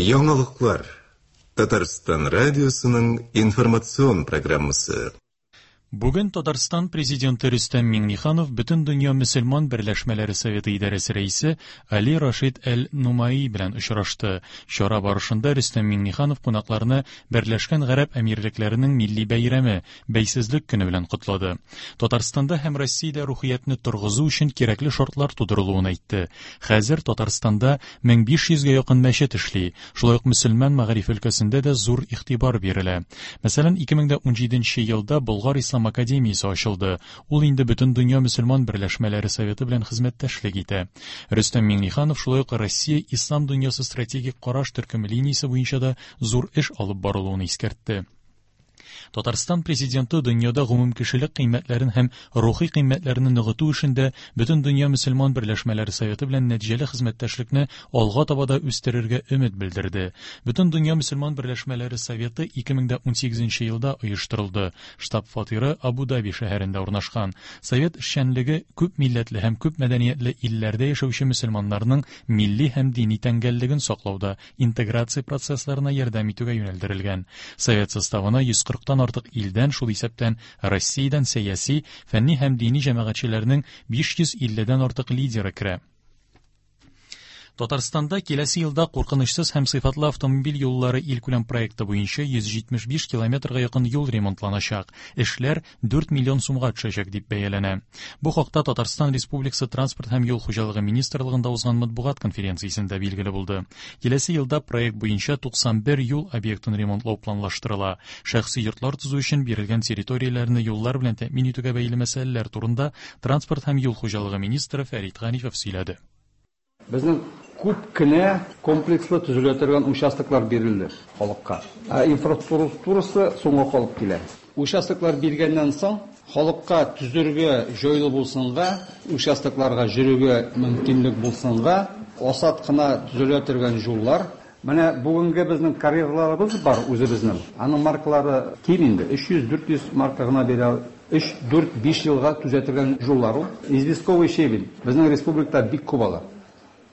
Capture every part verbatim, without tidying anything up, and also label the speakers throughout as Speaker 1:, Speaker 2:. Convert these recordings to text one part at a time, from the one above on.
Speaker 1: Яңалыклар. Татарстан радиосының информацион программасы.
Speaker 2: Бүген Татарстан президенты Рөстәм Миңнеханов Бөтендөнья мөселман берләшмәләре советы идарәсе рәисе Али Рашид Әл-Нумаи белән очрашты. Чара барышында Рөстәм Миңнеханов кунакларны Берләшкән Гарәп Әмирлекләренең милли бәйрәме Бәйсезлек көне белән котлады. Татарстанда һәм Россиядә рухиятне торгызу өчен кирәкле шартлар тудырылуын әйтте. Хәзер Татарстанда мең биш йөзгә якын мәчет эшли. Шулай ук мөселман мәгариф өлкәсендә дә зур игътибар бирелә. Мәсәлән, ике мең дә унҗиденче елда Болгар Ислам Академиясе ачылды. Ул инде Бөтендөнья мөселман берләшмәләре советы белән хезмәттәшлек итә. Рөстәм Миңнеханов шулай ук Россия Ислам дөньясы стратегик караш төркеме линиясе буенча да зур эш алып барылуын искәртте. Татарстан президенты дөньяда гомумкешелек кыйммәтләрен һәм рухи кыйммәтләрне ныгыту эшендә Бөтендөнья мөселман берләшмәләре советы белән нәтиҗәле хезмәттәшлекне алга таба да үстерергә өмет белдерде. Бөтендөнья мөселман берләшмәләре советы ике мең дә унсигезенче елда оештырылды. Штаб-фатиры Абу-Даби шәһәрендә урнашкан. Совет эшчәнлеге күп милләтле һәм күп мәдәниятле илләрдә яшәүче мөселманнарның милли һәм дини тәңгәллеген саклауда интеграция процессларына ярдәм итүгә юнәлдерелгән. Совет составына йөз кырыктан артык илдән, шул исәптән Россиядән сәяси, фәнни һәм дини җәмәгатьчеләрнең биш йөз илледән артык лидеры керә. Татарстанда киләсе елда куркынычсыз һәм сыйфатлы автомобиль юллары илкүләм проекты буенча йөз җитмеш биш километрга якын юл ремонтланачак. Эшләр дүрт миллион сумга төшәчәк дип бәяләнә. Бу хакта Татарстан Республикасы Транспорт һәм юл хуҗалыгы министрлыгында узган матбугат конференциясендә билгеле булды. Киләсе елда проект буенча туксан бер юл объектын ремонтлау планлаштырыла. Шәхси йортлар төзү өчен бирелгән территорияләрне юллар белән тәэмин итүгә бәйле мәсьәләләр турында Транспорт һәм юл хуҗалыгы министры Фәрит Ганифов сөйләде.
Speaker 3: Безнең күп кенә комплекслы төзелә торган участоклар бирелде халыкка. Ә инфраструктурасы соңга калып килә. Участоклар биргәннән соң халыкка төзергә җайлы булсынга, участокларга йөрергә мөмкинлек булсынга, асат кына төзелә торган юллар. Менә бүгенге безнең карьерларыбыз бар үзебезнең. Аның маркалары ким инде, өч йөз, дүрт йөз марка гына бирә. Өч, дүрт, биш елга төзәтелгән юллар ул. Известковый щебень безнең республикада бик күп ала.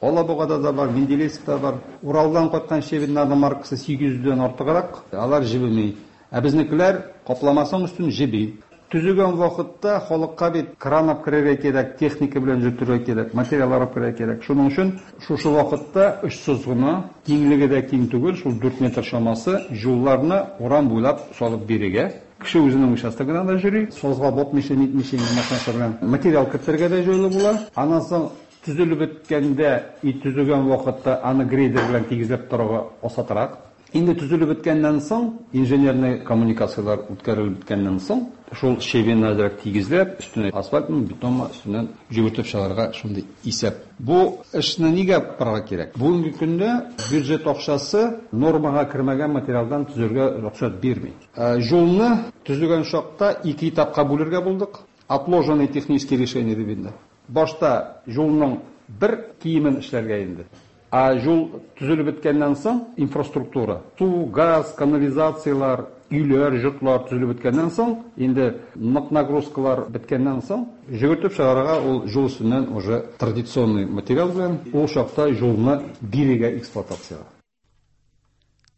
Speaker 3: Алабугада да бар, Менделеевскта бар. Уралдан кайткан щебеньнарның маркасы сигез йөздән артыграк, алар җебеми. Ә безнекеләр капламасаң өстен җеби. Төзегән вакытта халыкка бит кран алып керергә кирәк, техника белән йөртергә кирәк, материаллар алып керергә кирәк. Шуның өчен шушы вакытта очсыз гына, киңлеге дә киң түгел, шул дүрт метр чамасы юлларны урам буйлап салып бирергә. Кеше үзенең участогына да йөри, сазга батмыйча, нитмичә, машинасы белән материал кертергә дә җайлы була. Аннан соң төзелеп беткәндә, и төзегән вакытта аны грейдер белән тигезләп торырга асатрак. Инде төзелеп беткәннән соң, инженерный коммуникацияләр үткәрелеп беткәннән соң, шул щебеньне әзрәк тигезләп, өстенә асфальтмы, бетонмы өстеннән җөгертеп чыгарга шундый исәп. Бу эшне нигә барырга кирәк? Бүгенге көндә бюджет акчасы нормага кермәгән материалдан төзергә рөхсәт бирми. Э, юлны төзегән чакта ике этапка бүлергә булдык. Отложенные технические решения дип инде. Башта юлның бер киемен эшләргә инде. Ә юл төзелеп беткәннән соң инфраструктура, су, газ, канализацияләр, өйләр, йортлар төзелеп беткәннән соң, инде нык нагрузкалар беткәннән соң, җөгертеп чыгарырга ул юл өстеннән уже традиционный материал белән ул чакта юлны бирергә эксплуатацияга.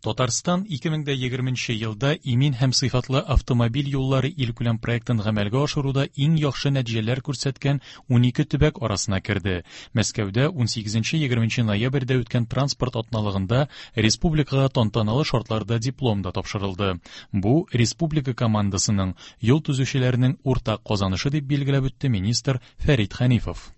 Speaker 2: Татарстан ике мең дә егерменче елда имин һәм сыйфатлы автомобиль юллары илкүләм проектын гамәлгә ашыруда иң яхшы нәтиҗәләр күрсәткән унике төбәк арасына керде. Мәскәүдә унсигезенче егерменче ноябрьдә үткән транспорт атналыгында республикага тантаналы шартларда диплом да тапшырылды. Бу республика командасының юл төзүчеләренең уртак казанышы дип билгеләп үтте министр Фәрит Хәнифов.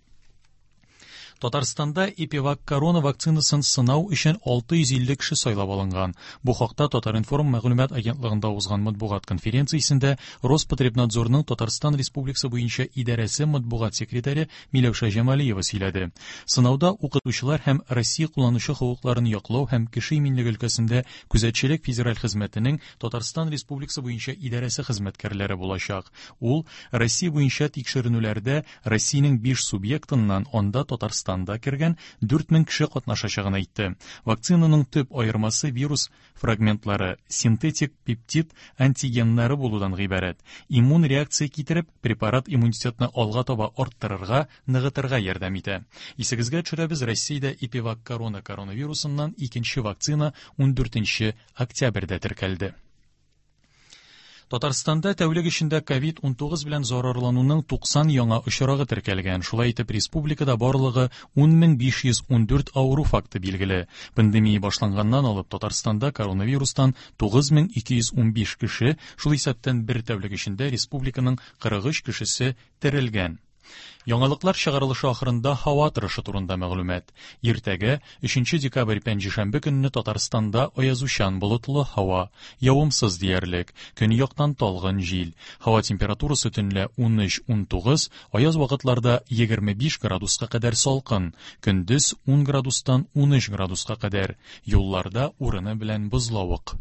Speaker 2: Татарстанда Эпивак корона вакцинасын сынау өчен алты йөз илле кеше сайлап алынган. Бу хакта Татар-информ мәгълүмат агентлыгында узган матбугат конференциясендә Роспотребнадзорның Татарстан Республикасы буенча идарәсе матбугат секретаре Миләүшә Җамалиева сөйләде. Сынауда укытучылар һәм Россия кулланучы хокукларын яклау һәм кеше иминлеге өлкәсендә күзәтчелек федераль хезмәтенең Татарстан Республикасы буенча идарәсе хезмәткәрләре булачак. Ул Россия буенча тикшеренүләрдә Россиянең биш субъектыннан анда Татарстан Татарстан да кергән дүрт мең кеше катнашачагын әйтте. Вакцинаның төп аермасы вирус фрагментлары, синтетик пептид антигеннары булудан гыйбарәт. Иммун реакция китереп, препарат иммунитетны алга таба арттырырга, ныгытырга ярдәм итә. Исегезгә төшерәбез, Россиядә Эпивак корона коронавирусыннан икенче вакцина ундүртенче октябрьдә теркәлде. Татарстанда тәүлек эчендә ковид унтугыз белән зарарлануның туксан яңа очрагы теркәлгән. Шулай итеп, республикада барлыгы ун мең биш йөз ундүрт авыру факты билгеле. Пандемия башланганнан алып Татарстанда коронавирустан тугыз мең ике йөз унбиш кеше, шул исәптән бер тәүлек эчендә республиканың кырык өч кешесе терелгән. Яңалыклар чыгарылышы ахырында һава торышы турында мәгълүмат. Иртәгә, өченче декабрь пәнҗешәмбе көнне Татарстанда аязучан болытлы һава, явымсыз диярлек, көньяктан талгын җил. Һава температурасы төнлә унөч унтугыз, аяз вакытларда егерме биш градуска кадәр салкын, көндез ун градустан унөч градуска кадәр. Юлларда урыны белән бозлавык.